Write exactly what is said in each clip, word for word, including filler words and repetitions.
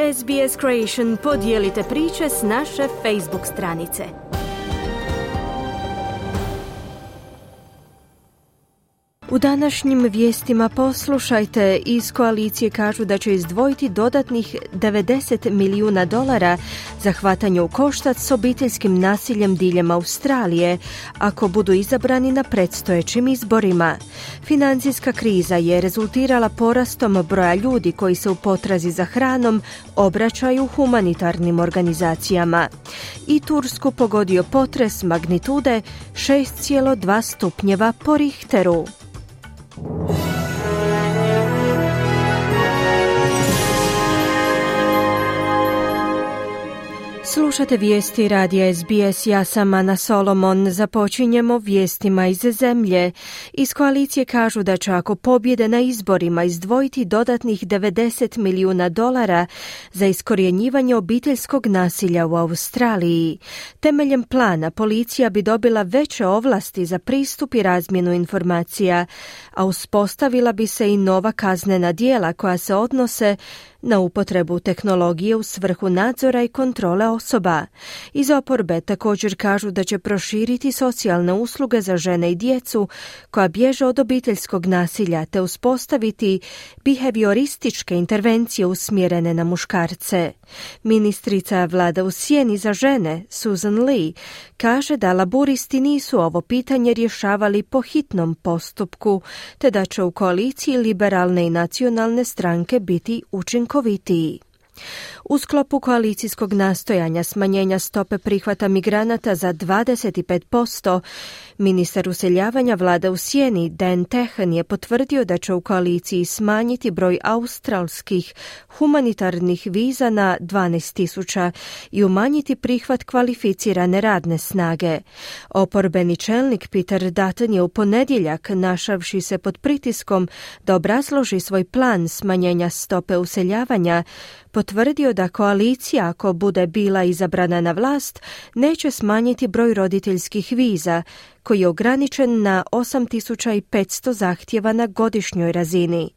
S B S Creation podijelite priče s naše Facebook stranice. U današnjim vijestima poslušajte, iz koalicije kažu da će izdvojiti dodatnih devedeset milijuna dolara za hvatanje u koštac s obiteljskim nasiljem diljem Australije, ako budu izabrani na predstojećim izborima. Financijska kriza je rezultirala porastom broja ljudi koji se u potrazi za hranom obraćaju humanitarnim organizacijama. I Tursku pogodio potres magnitude šest zarez dva stupnjeva po Richteru. Slušate vijesti radija S B S, ja sam Ana Solomon. Započinjemo vijestima iz zemlje. Iz koalicije kažu da će ako pobjede na izborima izdvojiti dodatnih devedeset milijuna dolara za iskorjenjivanje obiteljskog nasilja u Australiji. Temeljem plana policija bi dobila veće ovlasti za pristup i razmjenu informacija, a uspostavila bi se i nova kaznena djela koja se odnose na upotrebu tehnologije u svrhu nadzora i kontrole osoba. Iz oporbe također kažu da će proširiti socijalne usluge za žene i djecu koja bježe od obiteljskog nasilja te uspostaviti behaviorističke intervencije usmjerene na muškarce. Ministrica vlada u sjeni za žene, Susan Lee, kaže da laburisti nisu ovo pitanje rješavali po hitnom postupku, te da će u koaliciji liberalne i nacionalne stranke biti učinkovitiji. U sklopu koalicijskog nastojanja smanjenja stope prihvata migranata za dvadeset pet posto, ministar useljavanja vlada u sjeni Dan Tehan je potvrdio da će u koaliciji smanjiti broj australskih humanitarnih viza na dvanaest tisuća i umanjiti prihvat kvalificirane radne snage. Oporbeni čelnik Peter Dutton je u ponedjeljak, našavši se pod pritiskom da obrazloži svoj plan smanjenja stope useljavanja, potvrdio da koalicija, ako bude bila izabrana na vlast, neće smanjiti broj roditeljskih viza, koji je ograničen na osam tisuća petsto zahtjeva na godišnjoj razini.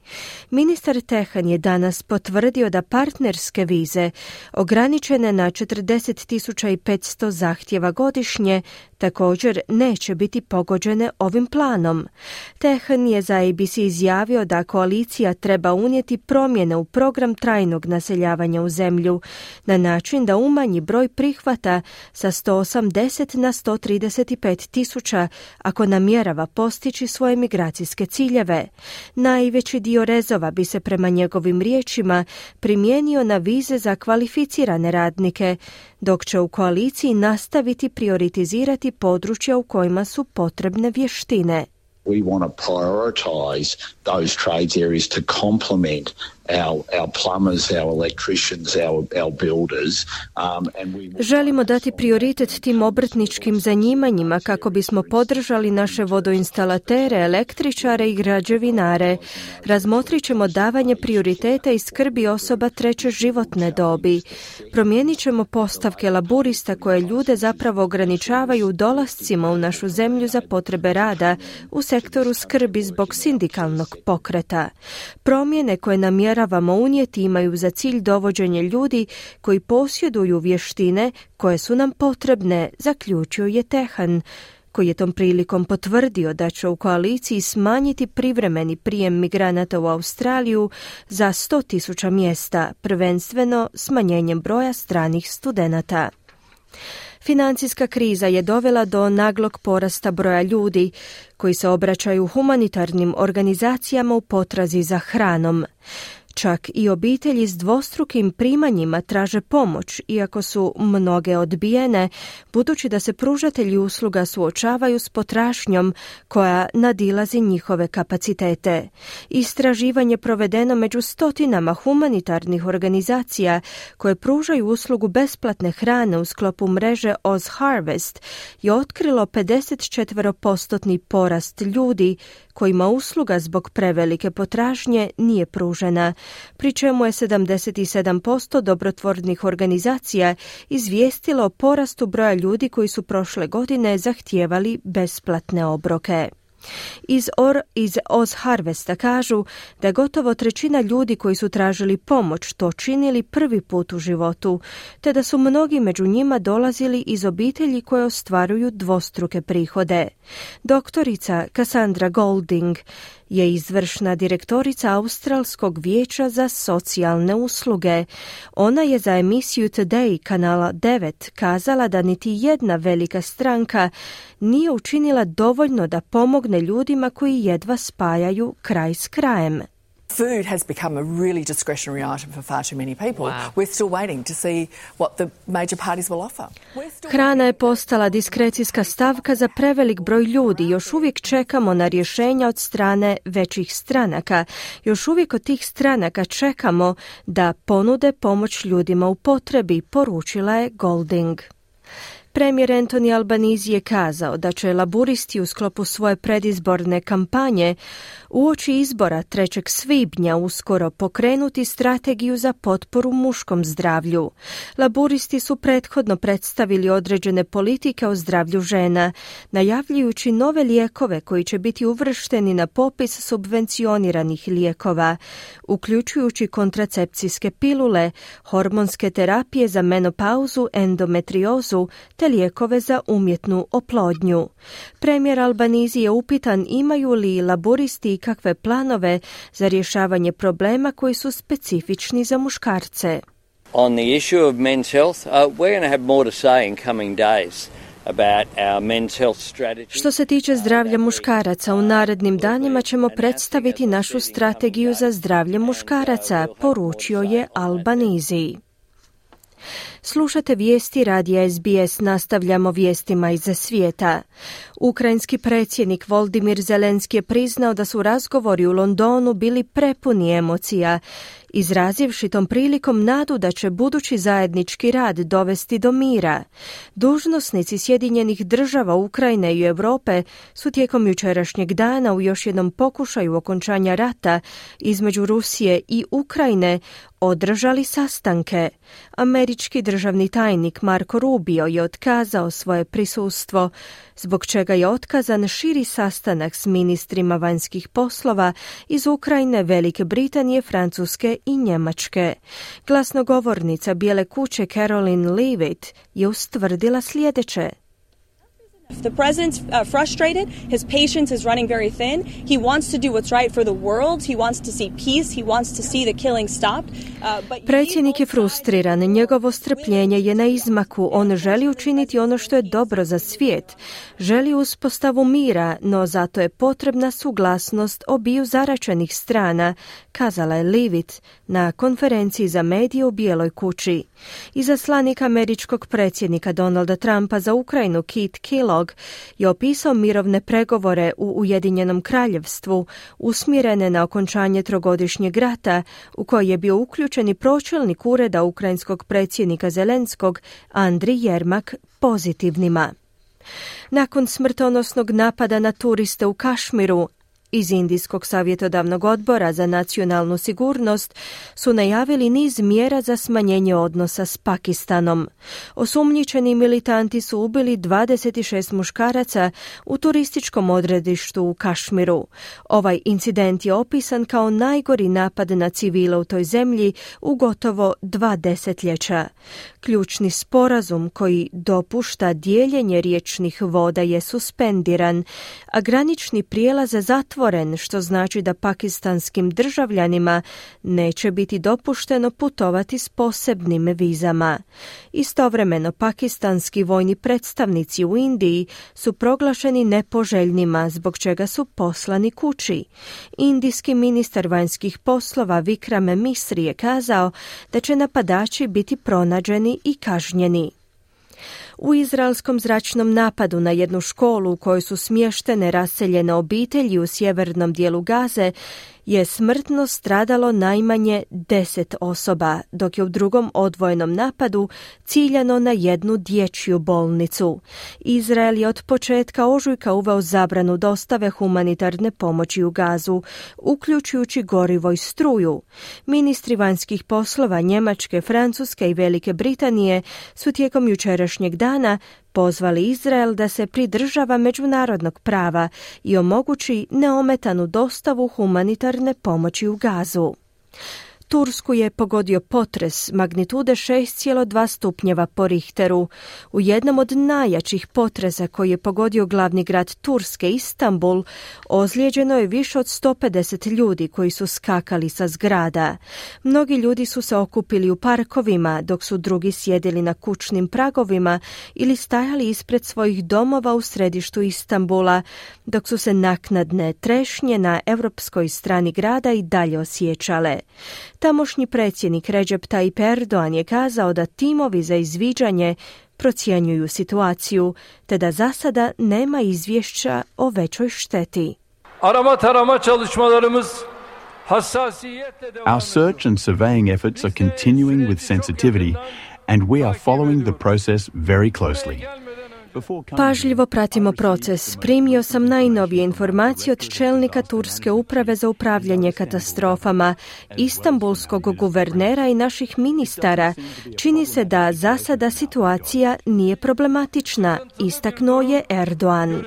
Ministar Tehan je danas potvrdio da partnerske vize, ograničene na četrdeset tisuća petsto zahtjeva godišnje, također neće biti pogođene ovim planom. Tehan je za A B C izjavio da koalicija treba unijeti promjene u program trajnog naseljavanja u zemlju na način da umanji broj prihvata sa sto osamdeset na sto trideset pet tisuća ako namjerava postići svoje migracijske ciljeve. Najveći dio rezova bi se prema njegovim riječima primijenio na vize za kvalificirane radnike, dok će u koaliciji nastaviti prioritizirati područja u kojima su potrebne vještine. We want to prioritise those trades areas to complement our our plumbers, our electricians, our our builders. Um, and we Želimo dati prioritet tim obrtničkim zanimanjima kako bismo podržali naše vodoinstalatere, električare i građevinare. Razmotrit ćemo davanje prioriteta i skrbi osoba treće životne dobi. Promijenit ćemo postavke laburista koje ljude zapravo ograničavaju dolascima u našu zemlju za potrebe rada u sektoru skrbi zbog sindikalnog pokreta. Promjene koje namjeravamo unijeti imaju za cilj dovođenje ljudi koji posjeduju vještine koje su nam potrebne, zaključio je Tehan, koji je tom prilikom potvrdio da će u koaliciji smanjiti privremeni prijem migranata u Australiju za sto tisuća mjesta, prvenstveno smanjenjem broja stranih studenata. Financijska kriza je dovela do naglog porasta broja ljudi koji se obraćaju humanitarnim organizacijama u potrazi za hranom. Čak i obitelji s dvostrukim primanjima traže pomoć, iako su mnoge odbijene, budući da se pružatelji usluga suočavaju s potražnjom koja nadilazi njihove kapacitete. Istraživanje provedeno među stotinama humanitarnih organizacija koje pružaju uslugu besplatne hrane u sklopu mreže Oz Harvest je otkrilo pedeset četiri posto porast ljudi kojima usluga zbog prevelike potražnje nije pružena, pri čemu je sedamdeset sedam posto dobrotvornih organizacija izvijestilo o porastu broja ljudi koji su prošle godine zahtijevali besplatne obroke. Iz, Or, iz Oz Harvesta kažu da gotovo trećina ljudi koji su tražili pomoć to činili prvi put u životu, te da su mnogi među njima dolazili iz obitelji koje ostvaruju dvostruke prihode. Doktorica Cassandra Golding je izvršna direktorica Australskog vijeća za socijalne usluge. Ona je za emisiju Today kanala devet kazala da niti jedna velika stranka nije učinila dovoljno da pomogne ljudima koji jedva spajaju kraj s krajem. Food has become a really discretionary item for far too many people. Wow. We're still waiting to see what the major parties will offer. Hrana je postala diskrecijska stavka za prevelik broj ljudi. Još uvijek čekamo na rješenja od strane većih stranaka. Još uvijek od tih stranaka čekamo da ponude pomoć ljudima u potrebi, poručila je Golding. Premijer Anthony Albanese je kazao da će laburisti u sklopu svoje predizborne kampanje uoči izbora trećeg svibnja uskoro pokrenuti strategiju za potporu muškom zdravlju. Laburisti su prethodno predstavili određene politike o zdravlju žena, najavljujući nove lijekove koji će biti uvršteni na popis subvencioniranih lijekova, uključujući kontracepcijske pilule, hormonske terapije za menopauzu, endometriozu te lijekove za umjetnu oplodnju. Premijer Albanese je upitan imaju li laburisti kakve planove za rješavanje problema koji su specifični za muškarce. On the issue of men's health, uh, we're going to have more to say in coming days. Što se tiče zdravlja muškaraca, u narednim danima ćemo predstaviti našu strategiju za zdravlje muškaraca, poručio je Albanese. Slušate vijesti radija S B S, nastavljamo vijestima iz svijeta. Ukrajinski predsjednik Volodymyr Zelenski je priznao da su razgovori u Londonu bili prepuni emocija, izrazivši tom prilikom nadu da će budući zajednički rad dovesti do mira. Dužnosnici Sjedinjenih država, Ukrajine i Europe su tijekom jučerašnjeg dana u još jednom pokušaju okončanja rata između Rusije i Ukrajine održali sastanke. Američki državni tajnik Marco Rubio je otkazao svoje prisustvo, zbog čega je otkazan širi sastanak s ministrima vanjskih poslova iz Ukrajine, Velike Britanije, Francuske i Njemačke. Glasnogovornica Bijele kuće Caroline Leavitt je ustvrdila sljedeće. The president's uh, frustrated, his patience is running very thin. He wants to do what's right for the world. He wants to see peace. He wants to see the killing stopped. Uh, but Predsjednik je frustriran, njegovo strpljenje je na izmaku. On želi učiniti ono što je dobro za svijet. Želi uspostavu mira, no zato je potrebna suglasnost obiju zaračenih strana, kazala je Leavitt na konferenciji za medije u Bijeloj kući. Izaslanik američkog predsjednika Donalda Trumpa za Ukrajinu Keith Kellogg je opisao mirovne pregovore u Ujedinjenom kraljevstvu usmjerene na okončanje trogodišnjeg rata u koji je bio uključen i pročelnik ureda ukrajinskog predsjednika Zelenskog Andriy Jermak pozitivnima. Nakon smrtonosnog napada na turiste u Kašmiru, iz Indijskog savjetodavnog odbora za nacionalnu sigurnost su najavili niz mjera za smanjenje odnosa s Pakistanom. Osumnjičeni militanti su ubili dvadeset šest muškaraca u turističkom odredištu u Kašmiru. Ovaj incident je opisan kao najgori napad na civile u toj zemlji u gotovo dva desetljeća. Ključni sporazum koji dopušta dijeljenje riječnih voda je suspendiran, a granični prijelaz je zatvoren, što znači da pakistanskim državljanima neće biti dopušteno putovati s posebnim vizama. Istovremeno, pakistanski vojni predstavnici u Indiji su proglašeni nepoželjnima, zbog čega su poslani kući. Indijski ministar vanjskih poslova Vikram Misri je kazao da će napadači biti pronađeni i kažnjeni. U izraelskom zračnom napadu na jednu školu u kojoj su smještene raseljene obitelji u sjevernom dijelu Gaze je smrtno stradalo najmanje deset osoba, dok je u drugom odvojenom napadu ciljano na jednu dječju bolnicu. Izrael je od početka ožujka uveo zabranu dostave humanitarne pomoći u Gazu, uključujući gorivo i struju. Ministri vanjskih poslova Njemačke, Francuske i Velike Britanije su tijekom jučerašnjeg dana pozvali Izrael da se pridržava međunarodnog prava i omogući neometanu dostavu humanitarne pomoći u Gazu. Tursku je pogodio potres magnitude šest zarez dva stupnjeva po Richteru. U jednom od najjačih potresa koji je pogodio glavni grad Turske, Istanbul, ozlijeđeno je više od sto pedeset ljudi koji su skakali sa zgrada. Mnogi ljudi su se okupili u parkovima, dok su drugi sjedili na kućnim pragovima ili stajali ispred svojih domova u središtu Istanbula, dok su se naknadne trešnje na europskoj strani grada i dalje osjećale. Tamošnji predsjednik Recep Tayyip Erdogan je kazao da timovi za izviđanje procjenjuju situaciju, te da za sada nema izvješća o većoj šteti. Our search and surveying efforts are continuing with sensitivity, and we are following the process very closely. Pažljivo pratimo proces. Primio sam najnovije informacije od čelnika Turske uprave za upravljanje katastrofama, istanbulskog guvernera i naših ministara. Čini se da za sada situacija nije problematična, istaknuo je Erdogan.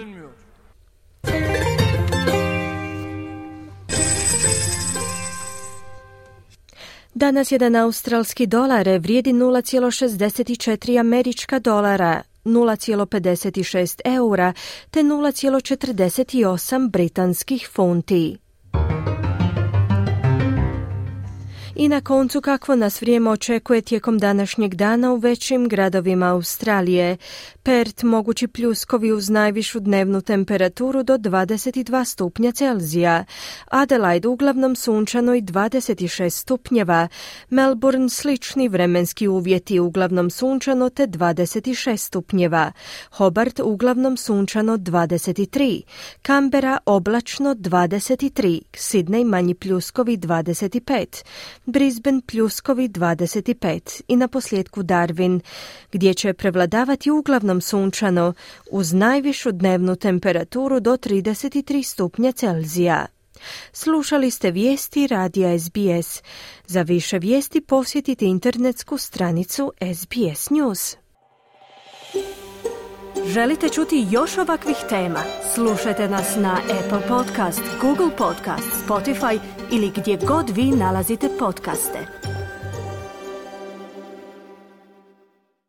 Danas jedan australski dolar vrijedi nula zarez šezdeset četiri američka dolara, nula zarez pedeset šest eura te nula zarez četrdeset osam britanskih funti. I na koncu, kakvo nas vrijeme očekuje tijekom današnjeg dana u većim gradovima Australije. Perth mogući pljuskovi uz najvišu dnevnu temperaturu do dvadeset dva stupnja Celzija. Adelaide uglavnom sunčano i dvadeset šest stupnjeva. Melbourne slični vremenski uvjeti, uglavnom sunčano te dvadeset šest stupnjeva. Hobart uglavnom sunčano dvadeset tri. Canberra oblačno dvadeset tri. Sydney manji pljuskovi dvadeset pet. Brisbane pljuskovi dvadeset pet i na posljedku Darwin, gdje će prevladavati uglavnom sunčano uz najvišu dnevnu temperaturu do trideset tri stupnja Celzija. Slušali ste vijesti radija S B S. Za više vijesti posjetite internetsku stranicu S B S News. Želite čuti još ovakvih tema? Slušajte nas na Apple Podcast, Google Podcast, Spotify ili gdje god vi nalazite podcaste.